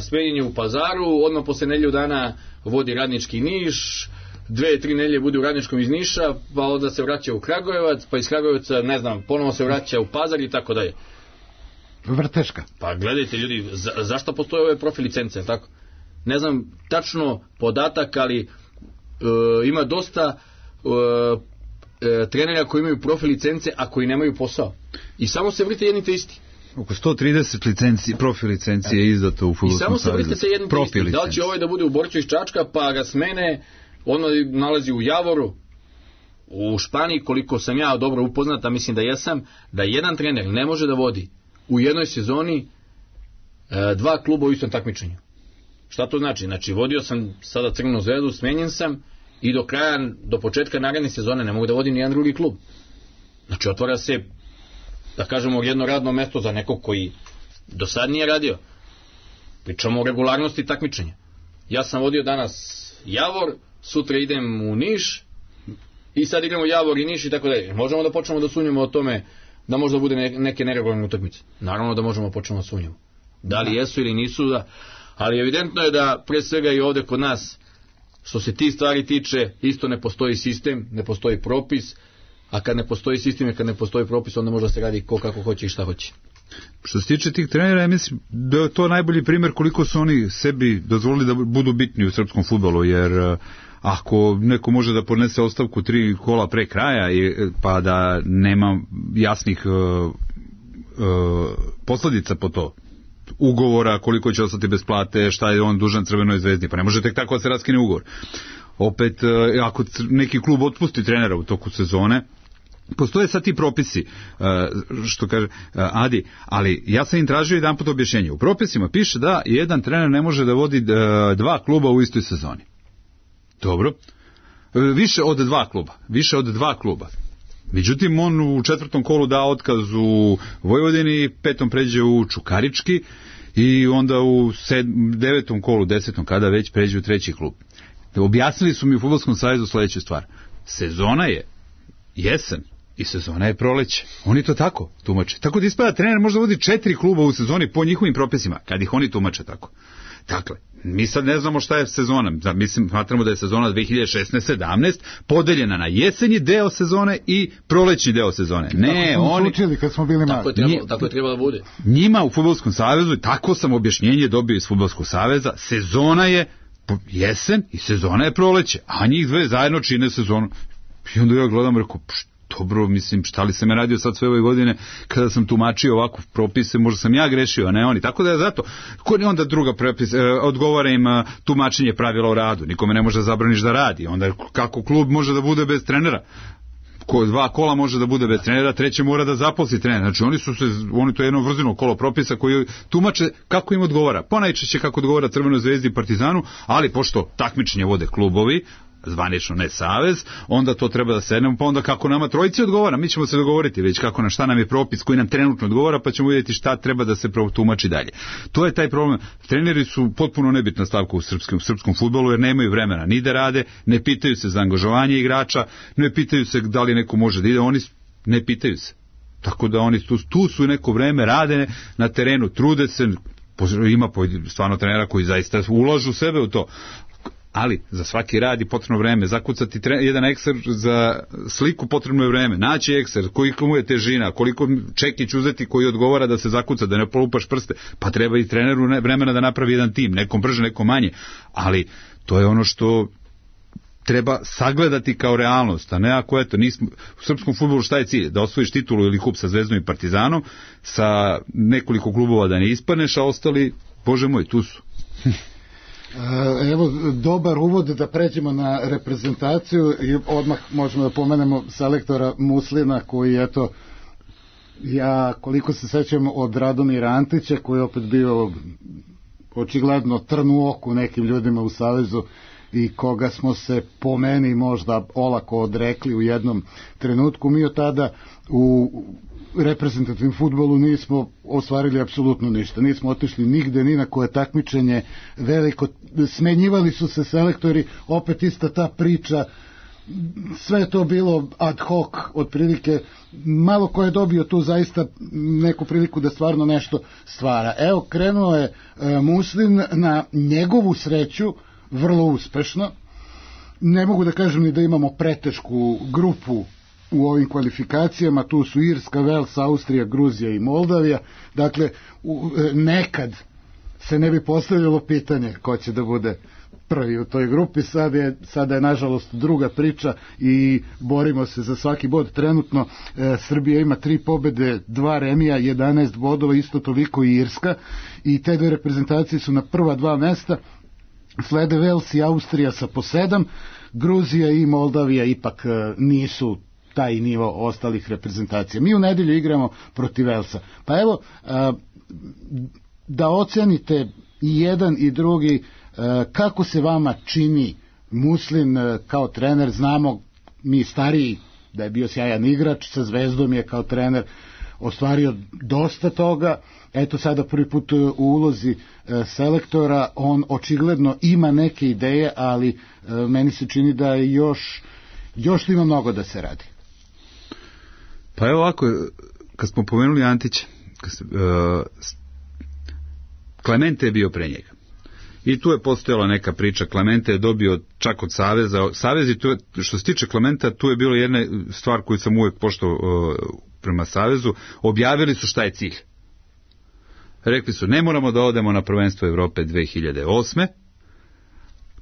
smenjen je u Pazaru, odmah posle nedelju dana vodi Radnički Niš, 2-3 nedelje bude u Radničkom iz Niša, pa onda se vraća u Kragujevac, pa iz Kragujevca, ne znam, ponovo se vraća u Pazar i tako dalje. Vrteška. Pa gledajte ljudi, zašto postoje ove profil licence, tako? Ne znam tačno podatak, ali ima dosta trenera koji imaju profil licence, a koji nemaju posao. I samo se vrite jedni te isti. Oko 130 profil licencije je izdato u Fudbalskom savezu. I samo se vrite se jedni te isti. Da li će ovaj da bude u Borču iz Čačka, pa ga smene, ono nalazi u Javoru, u Španiji, koliko sam ja dobro upoznat, a mislim da jesam, da jedan trener ne može da vodi u jednoj sezoni 2 kluba u istom takmičenju. Šta to znači? Znači, vodio sam sada Crvenu zvezdu, smenjen sam i do početka naredne sezone ne mogu da vodim ni jedan drugi klub. Znači, otvara se, da kažemo, jedno radno mesto za nekog koji do sad nije radio. Pričamo o regularnosti takmičenja. Ja sam vodio danas Javor, sutra idem u Niš i sad igramo Javor i Niš i tako dalje. Možemo da počnemo da sumnjamo o tome da možda bude neke neregularne utakmice. Naravno da možemo počnemo da sumnjamo. Da li jesu ili nisu, ali evidentno je da pre svega i ovde kod nas, što se ti stvari tiče, isto ne postoji sistem, ne postoji propis, a kad ne postoji sistem i kad ne postoji propis, onda možda se radi ko kako hoće i šta hoće. Što se tiče tih trenera, ja mislim da je to najbolji primjer koliko su oni sebi dozvolili da budu bitni u srpskom fudbalu, jer ako neko može da podnese ostavku 3 kola pre kraja, pa da nema jasnih posledica po to, ugovora, koliko će ostati bez plate, šta je on dužan Crvenoj zvezdi, pa ne može tek tako da se raskine ugovor. Opet, ako neki klub otpusti trenera u toku sezone, postoje sad ti propisi, što kaže Adi, ali ja sam im tražio jedan put objašnjenje. U propisima piše da jedan trener ne može da vodi 2 kluba u istoj sezoni. Dobro. Više od 2 kluba. Međutim, on u 4. kolu da otkaz u Vojvodini, 5. pređe u Čukarički i onda u 9. kolu, 10. kada već pređe u 3. klub. Objasnili su mi u Fudbalskom savezu sledeću stvar. Sezona je jesen i sezona je proleće. Oni to tako tumače. Tako da ispada trener može da vodi 4 kluba u sezoni po njihovim propisima, kad ih oni tumače tako. Dakle, mi sad ne znamo šta je sezona. Mislim, smatramo da je sezona 2016-17 podeljena na jesenji deo sezone i prolećni deo sezone. Ne, oni učili kad smo bili mali. Tako je trebalo da bude. Njima u Fudbalskom savezu, tako sam objašnjenje dobio iz Fudbalskog saveza, sezona je jesen i sezona je proleće, a njih dve zajedno čine sezonu. I onda ja gledam i rekao, dobro, mislim, šta li se me radio sad sve ove godine kada sam tumačio ovako propise, možda sam ja grešio, a ne oni. Tako da je zato, onda druga propis, odgovara im tumačenje pravila o radu, nikome ne može da zabraniš da radi, onda kako klub može da bude bez trenera? 2 kola može da bude bez trenera, treće mora da zaposli trener. Znači oni to je jedno vrzino kolo propisa koji tumače kako im odgovara. Ponajčešće kako odgovara Crvenoj zvezdi i Partizanu, ali pošto takmičenje vode klubovi, zvanično ne savez, onda to treba da sednemo, pa onda kako nama trojici odgovara, mi ćemo se dogovoriti već kako na šta nam je propis koji nam trenutno odgovara, pa ćemo vidjeti šta treba da se tumači dalje. To je taj problem. Treneri su potpuno nebitna stavka u srpskom fudbalu jer nemaju vremena ni da rade, ne pitaju se za angažovanje igrača, ne pitaju se da li neko može da ide, oni ne pitaju se. Tako da oni tu su neko vreme, rade na terenu, trude se, ima stvarno trenera koji zaista ulažu sebe u to. Ali za svaki rad je potrebno vreme, zakucati jedan ekser za sliku potrebno je vreme, naći ekser, koliko mu je težina, koliko čekić uzeti koji odgovara da se zakuca, da ne polupaš prste, pa treba i treneru vremena da napravi jedan tim, nekom brže, nekom manje, ali to je ono što treba sagledati kao realnost, a ne ako eto, nismo, u srpskom fudbalu šta je cilj? Da osvojiš titulu ili kup sa Zvezdom i Partizanom, sa nekoliko klubova da ne ispadneš, a ostali, bože moj, tu su. Evo, dobar uvod da pređemo na reprezentaciju i odmah možemo da pomenemo selektora Muslina koji, eto, ja koliko se sećam od Radomira Antića koji je opet bio očigledno trn u oku nekim ljudima u Savezu i koga smo se po meni možda olako odrekli u jednom trenutku. Mi od tada u reprezentativnom fudbalu nismo ostvarili apsolutno ništa. Nismo otišli nigde, ni na koje takmičenje veliko. Smenjivali su se selektori, opet ista ta priča. Sve je to bilo ad hoc, otprilike. Malo ko je dobio tu zaista neku priliku da stvarno nešto stvara. Evo, krenuo je Muslin na njegovu sreću vrlo uspešno. Ne mogu da kažem ni da imamo pretešku grupu u ovim kvalifikacijama, tu su Irska, Vels, Austrija, Gruzija i Moldavija. Dakle, nekad se ne bi postavljalo pitanje ko će da bude prvi u toj grupi. Sada je nažalost druga priča i borimo se za svaki bod. Trenutno Srbija ima 3 pobede, 2 remija, 11 bodova, isto toliko i Irska, i te dve reprezentacije su na prva 2 mesta. Slede Vels i Austrija sa po 7, Gruzija i Moldavija ipak nisu taj nivo ostalih reprezentacija. Mi u nedelju igramo protiv Velsa. Pa evo, da ocenite i jedan i drugi, kako se vama čini Muslin kao trener. Znamo mi stariji da je bio sjajan igrač, sa Zvezdom je kao trener ostvario dosta toga. Eto sada prvi put u ulozi selektora, on očigledno ima neke ideje, ali meni se čini da još ima mnogo da se radi. Pa evo ovako, kad smo pomenuli Antića, Klemente je bio pre njega. I tu je postojala neka priča, Klemente je dobio čak od Saveza. Savez i tu, što se tiče Klementa, tu je bila jedna stvar koju sam uvek poštovao prema Savezu, objavili su šta je cilj. Rekli su, ne moramo da odemo na prvenstvo Evrope 2008.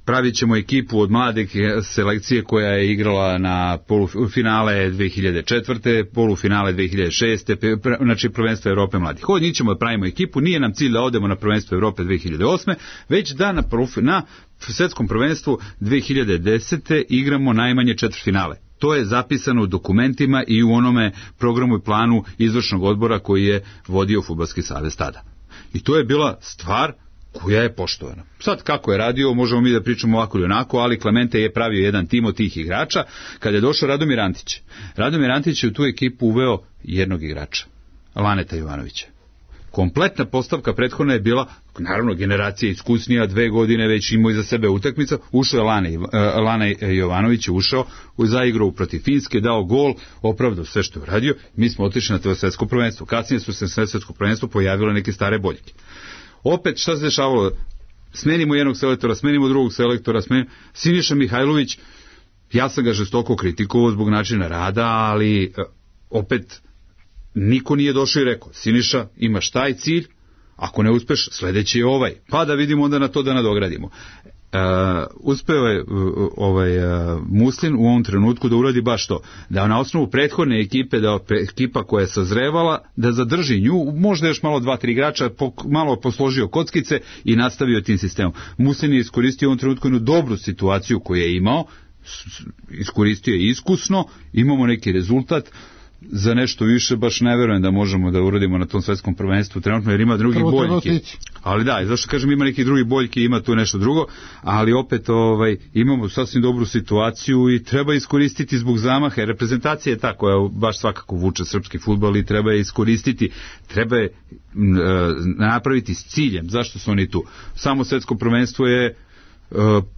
Pravit ćemo ekipu od mlade selekcije koja je igrala na polufinale 2004. polufinale 2006. Znači prvenstvo Evrope mladih. Od njih ćemo da pravimo ekipu, nije nam cilj da odemo na prvenstvo Evrope 2008. već da na svetskom prvenstvu 2010. igramo najmanje četvrtfinale. To je zapisano u dokumentima i u onome programu i planu izvršnog odbora koji je vodio Fudbalski savez tada. I to je bila stvar koja je poštovana. Sad kako je radio, možemo mi da pričamo ovako ili onako, ali Klemente je pravio jedan tim od tih igrača. Kada je došao Radomir Antić, Radomir Antić je u tu ekipu uveo jednog igrača, Laneta Jovanovića. Kompletna postavka prethodna je bila, naravno, generacija iskusnija, 2 godine već imao iza sebe utakmica, ušao je Lane Jovanović, ušao u zaigru protiv Finske, dao gol, opravdao sve što je uradio, mi smo otišli na to svetsko prvenstvo. Kasnije su se na svetsko prvenstvo pojavile neke stare boljke. Opet, šta se dešavalo? Smenimo jednog selektora, smenimo drugog selektora, Siniša Mihajlović, ja sam ga žestoko kritikovao zbog načina rada, ali opet niko nije došao i rekao, Siniša, imaš taj cilj, ako ne uspeš, sledeći je ovaj, pa da vidimo onda na to da nadogradimo. Uspeo je Muslin u ovom trenutku da uradi baš to, da na osnovu prethodne ekipe, da ekipa koja je sazrevala, da zadrži nju, možda još malo 2-3 igrača, malo posložio kockice i nastavio tim sistemom. Muslin je iskoristio u ovom trenutku jednu dobru situaciju koju je imao, iskoristio je iskusno, imamo neki rezultat. Za nešto više baš ne verujem da možemo da uradimo na tom svetskom prvenstvu trenutno, jer ima drugi boljki. Ali da, zašto kažem ima neki drugi boljki, ima tu nešto drugo, ali opet imamo sasvim dobru situaciju i treba iskoristiti zbog zamaha, jer reprezentacija je ta koja baš svakako vuče srpski fudbal i treba je iskoristiti, treba je napraviti s ciljem. Zašto su oni tu? Samo svetsko prvenstvo je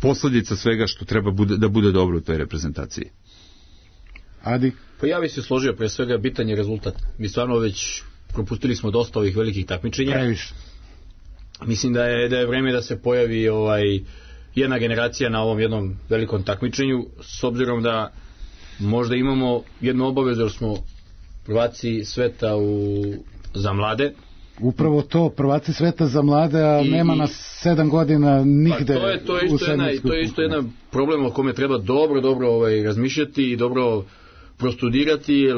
posljedica svega što treba da bude dobro u toj reprezentaciji. Adi? Pa ja bih se složio, pre svega bitan je rezultat. Mi stvarno već propustili smo dosta ovih velikih takmičenja. Previše. Mislim da je vreme da se pojavi jedna generacija na ovom jednom velikom takmičenju, s obzirom da možda imamo jednu obavezu, jer smo prvaci sveta za mlade. Upravo to, prvaci sveta za mlade, a nema nas 7 godina nigde. Pa to je isto jedan problem o kome treba dobro razmišljati i dobro prostudirati, jer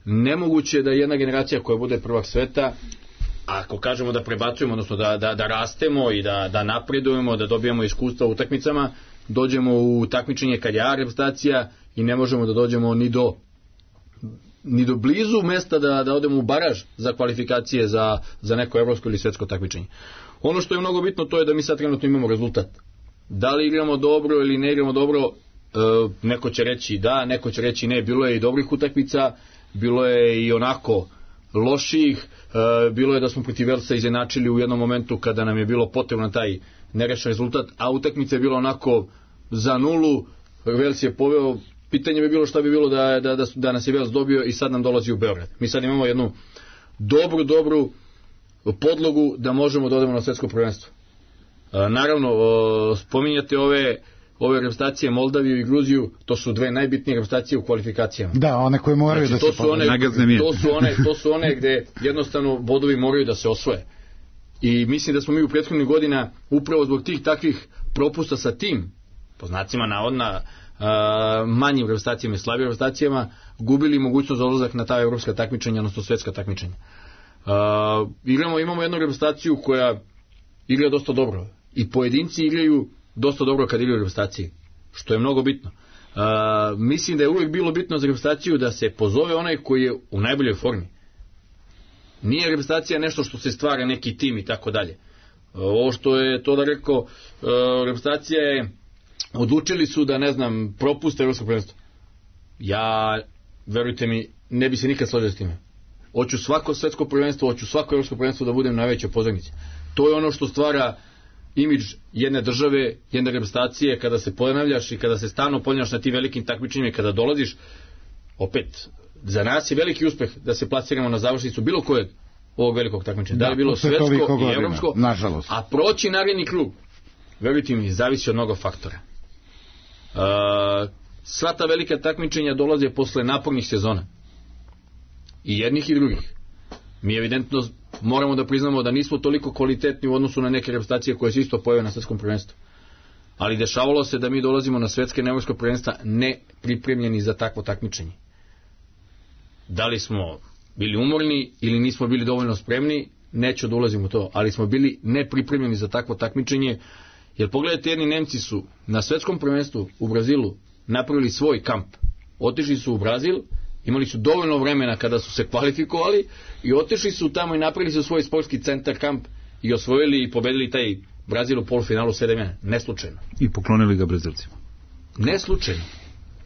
nemoguće da jedna generacija koja bude prvak sveta, ako kažemo da prebacujemo, odnosno da rastemo i da napredujemo, da dobijemo iskustva u utakmicama, dođemo u takmičenje kad je A reprezentacija i ne možemo da dođemo ni do blizu mesta da odemo u baraž za kvalifikacije za neko evropsko ili svetsko takmičenje. Ono što je mnogo bitno, to je da mi sad trenutno imamo rezultat. Da li igramo dobro ili ne igramo dobro, neko će reći da, neko će reći ne. Bilo je i dobrih utakmica, bilo je i onako loših, bilo je da smo protiv Velsa izjednačili u jednom momentu kada nam je bilo potrebno taj nerešen rezultat, a utakmica je bila onako za 0, Vels je poveo. Pitanje bi bilo šta bi bilo da nas je Vels dobio i sad nam dolazi u Beograd. Mi sad imamo jednu dobru podlogu da možemo da odemo na svetsko prvenstvo. Naravno, spominjate ove reprezentacije Moldaviju i Gruziju, to su dve najbitnije reprezentacije u kvalifikacijama. Da, one koje moraju da se to su one gde jednostavno bodovi moraju da se osvoje. I mislim da smo mi u prethodnih godina upravo zbog tih takvih propusta sa tim, po znacima navodna, manjim reprezentacijama i slabijim reprezentacijama, gubili mogućnost za odlazak na ta evropska takmičenja, odnosno svetska takmičenja. Imamo jednu reprezentaciju koja igra dosta dobro i pojedinci igraju dosta dobro kad igraju reprezentaciji, što je mnogo bitno. Mislim da je uvijek bilo bitno za reprezentaciju da se pozove onaj koji je u najboljoj formi. Nije reprezentacija nešto što se stvara neki tim i tako dalje. Ovo što je to da rekao, reprezentacija je, odlučili su da, propuste evropsko prvenstvo. Ja, verujte mi, ne bi se nikad složio s time. Hoću svako svetsko prvenstvo, hoću svako evropsko prvenstvo da budem najveća pozornica. To je ono što stvara imidž jedne države, jedne reprezentacije, kada se ponavljaš i kada se stalno ponavljaš na tim velikim takmičenjima i kada dolaziš, opet, za nas je veliki uspeh da se plasiramo na završnicu bilo kojeg ovog velikog takmičenja. Da je bilo svetsko i evropsko, nažalost. A proći naredni krug, verujte mi, zavisi od mnogo faktora. Sva ta velika takmičenja dolaze posle napornih sezona. I jednih i drugih. Mi evidentno moramo da priznamo da nismo toliko kvalitetni u odnosu na neke reprezentacije koje se isto pojave na svetskom prvenstvu. Ali dešavalo se da mi dolazimo na svetske i evropska prvenstva ne pripremljeni za takvo takmičenje. Da li smo bili umorni ili nismo bili dovoljno spremni, neću da ulazim u to, ali smo bili nepripremljeni za takvo takmičenje, jer pogledajte, jedni Nemci su na svetskom prvenstvu u Brazilu napravili svoj kamp. Otišli su u Brazil, imali su dovoljno vremena kada su se kvalifikovali i otišli su tamo i napravili su svoj sportski centar kamp i osvojili i pobedili taj Brazil u polufinalu 7-1. Neslučajno. I poklonili ga Brazilcima. Neslučajno.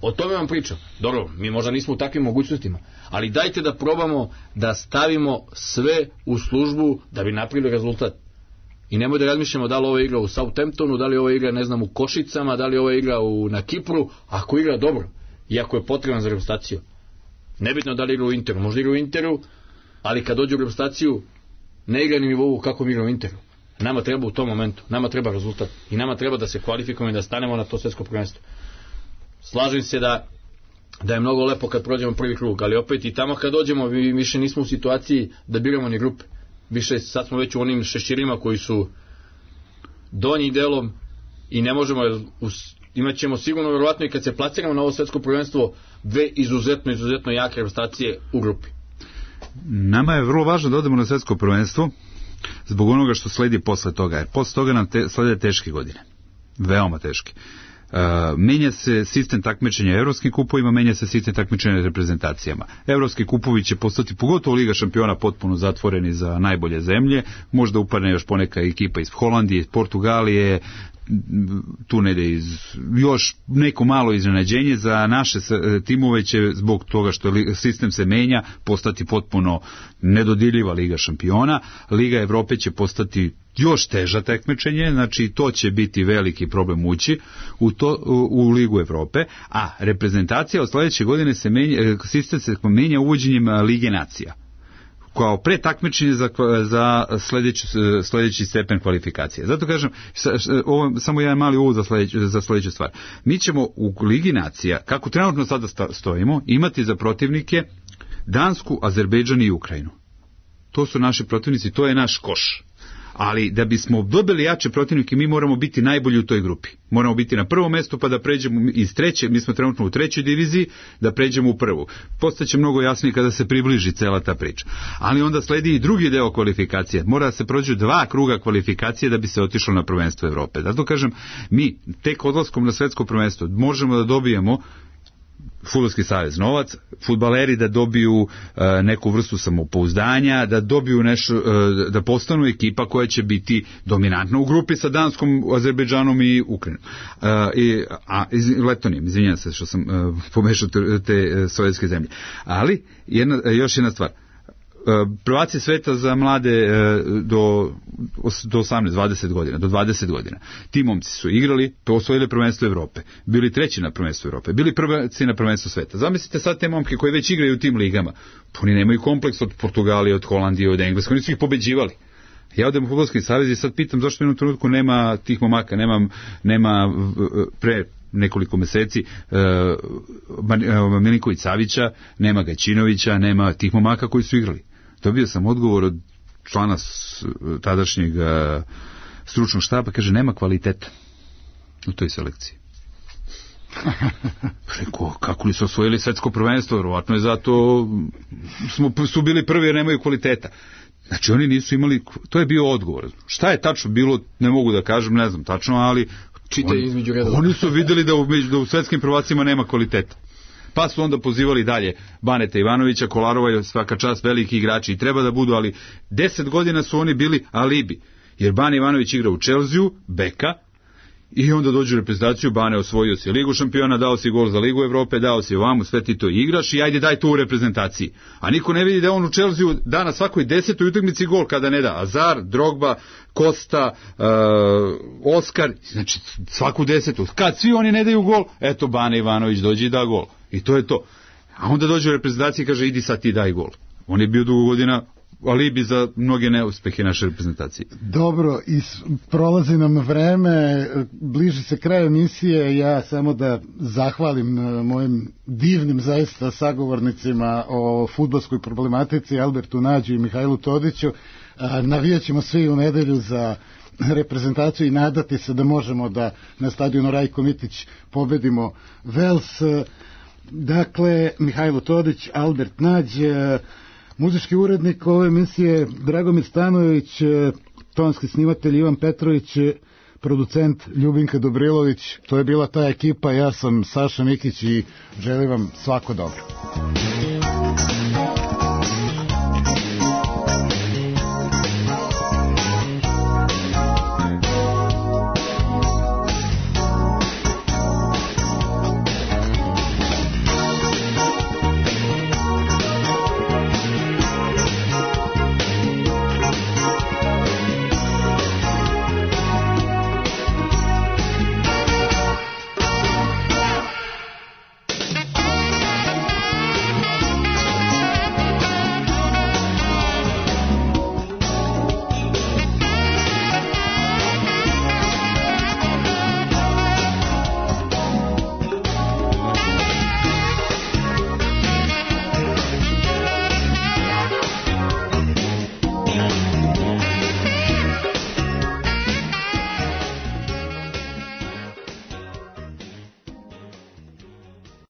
O tome vam pričam. Dobro, mi možda nismo u takvim mogućnostima, ali dajte da probamo da stavimo sve u službu da bi napravili rezultat. I nemoj da razmišljamo da li ovo igra u Southamptonu, da li ovo igra, u Košicama, da li ovo igra na Kipru, ako igra dobro i ako je potreban za reprezentaciju. Nebitno da li igra u Interu, možda igra u Interu, ali kad dođe u reprezentaciju ne igra ni nivou kako mi igra u Interu. Nama treba u tom momentu, nama treba rezultat i nama treba da se kvalifikujemo i da stanemo na to svetsko prvenstvo. Slažem se da je mnogo lepo kad prođemo prvi krug, ali opet i tamo kad dođemo više nismo u situaciji da biramo ni grupe. Više sad smo već u onim šeširima koji su donji delom i ne možemo, imat ćemo sigurno verovatno i kad se plasiramo na ovo svetsko prvenstvo dve izuzetno jake reprezentacije u grupi. Nama je vrlo važno da odemo na svetsko prvenstvo zbog onoga što sledi posle toga, jer posle toga nam slede teške godine, veoma teške. menja se sistem takmičenja evropskim kupovima, menja se sistem takmičenja reprezentacijama. Evropski kupovi će postati, pogotovo Liga šampiona, potpuno zatvoreni za najbolje zemlje, možda upadne još poneka ekipa iz Holandije, iz Portugalije, tu ne ide još neko malo iznenađenje. Za naše timove će, zbog toga što sistem se menja, postati potpuno nedodirljiva Liga šampiona. Liga Evrope će postati još teža takmičenje, znači to će biti veliki problem ući u Ligu Evrope, a reprezentacija od sledeće godine se menja, sistem se menja uvođenjem Lige nacija kao pretakmičenje za sledeći stepen kvalifikacije. Zato kažem, ovo samo jedan mali uvod za sledeću stvar. Mi ćemo u Ligi nacija, kako trenutno sada stojimo, imati za protivnike Dansku, Azerbejdžan i Ukrajinu. To su naši protivnici, to je naš koš. Ali da bismo dobili jače protivnike, mi moramo biti najbolji u toj grupi. Moramo biti na prvom mestu, pa da pređemo iz treće, mi smo trenutno u trećoj diviziji, da pređemo u prvu. Postaće mnogo jasnije kada se približi cela ta priča. Ali onda sledi i drugi deo kvalifikacije. Mora da se prođu 2 kruga kvalifikacije da bi se otišlo na prvenstvo Evrope. Zato kažem, mi tek odlaskom na svetsko prvenstvo možemo da dobijemo Fudbalski savez novac, fudbaleri da dobiju neku vrstu samopouzdanja, da dobiju nešto, da postanu ekipa koja će biti dominantna u grupi sa Danskom, Azerbejdžanom i Ukrajinom. Letonijom, izvinjam se što sam pomešao te sovjetske zemlje. Ali, još jedna stvar. Prvaci sveta za mlade do 18-20 godina, do 20 godina. Ti momci su igrali, osvojili prvenstvo Evrope, bili treći na prvenstvu Evrope, bili prvaci na prvenstvu sveta. Zamislite sad te momke koji već igraju u tim ligama, oni nemaju kompleks od Portugalije, od Holandije, od Engleske, oni su ih pobeđivali. Ja odem u Fudbalski savez i sad pitam zašto u jednom trenutku nema tih momaka, nema pre nekoliko meseci Milinković Savića, nema Gajčinovića, nema tih momaka koji su igrali. Dobio sam odgovor od člana tadašnjeg stručnog štaba, kaže nema kvaliteta u toj selekciji. Rekao, kako li su osvojili svetsko prvenstvo, verovatno je zato su bili prvi jer nemaju kvaliteta. Znači oni nisu imali, to je bio odgovor. Šta je tačno bilo, ne mogu da kažem, ne znam tačno, ali oni su videli da u svetskim prvacima nema kvaliteta. Pa su onda pozivali dalje Baneta Ivanovića, Kolarova, svaka čast, veliki igrači i treba da budu, ali 10 godina su oni bili alibi, jer Bane Ivanović igra u Chelsea, beka, i onda dođu u reprezentaciju, Bane osvojio si Ligu šampiona, dao si gol za Ligu Evrope, dao si ovamo, sve ti to igraš i ajde daj to u reprezentaciji. A niko ne vidi da on u Chelsea da na svakoj 10. utakmici gol kada ne da. Azar, Drogba, Costa, Oskar, znači svaku 10. Kad svi oni ne daju gol, eto Bane Ivanović dođe i da gol. I to je to. A onda dođe u reprezentaciji i kaže idi sad ti daj gol. On je bio dugo godina alibi za mnoge neuspehe naše reprezentacije. Dobro, prolazi nam vreme, bliži se kraj emisije, ja samo da zahvalim mojim divnim zaista sagovornicima o fudbalskoj problematici, Albertu Nađu i Mihajlu Todiću. Navijat ćemo svi u nedelju za reprezentaciju i nadati se da možemo da na stadionu Rajko Mitić pobedimo Vels. Dakle, Mihajlo Todić, Albert Nađ, muzički urednik ove emisije Dragomir Stanojević, tonski snimatelj Ivan Petrović, producent Ljubinka Dobrilović. To je bila ta ekipa, ja sam Saša Mikić i želim vam svako dobro.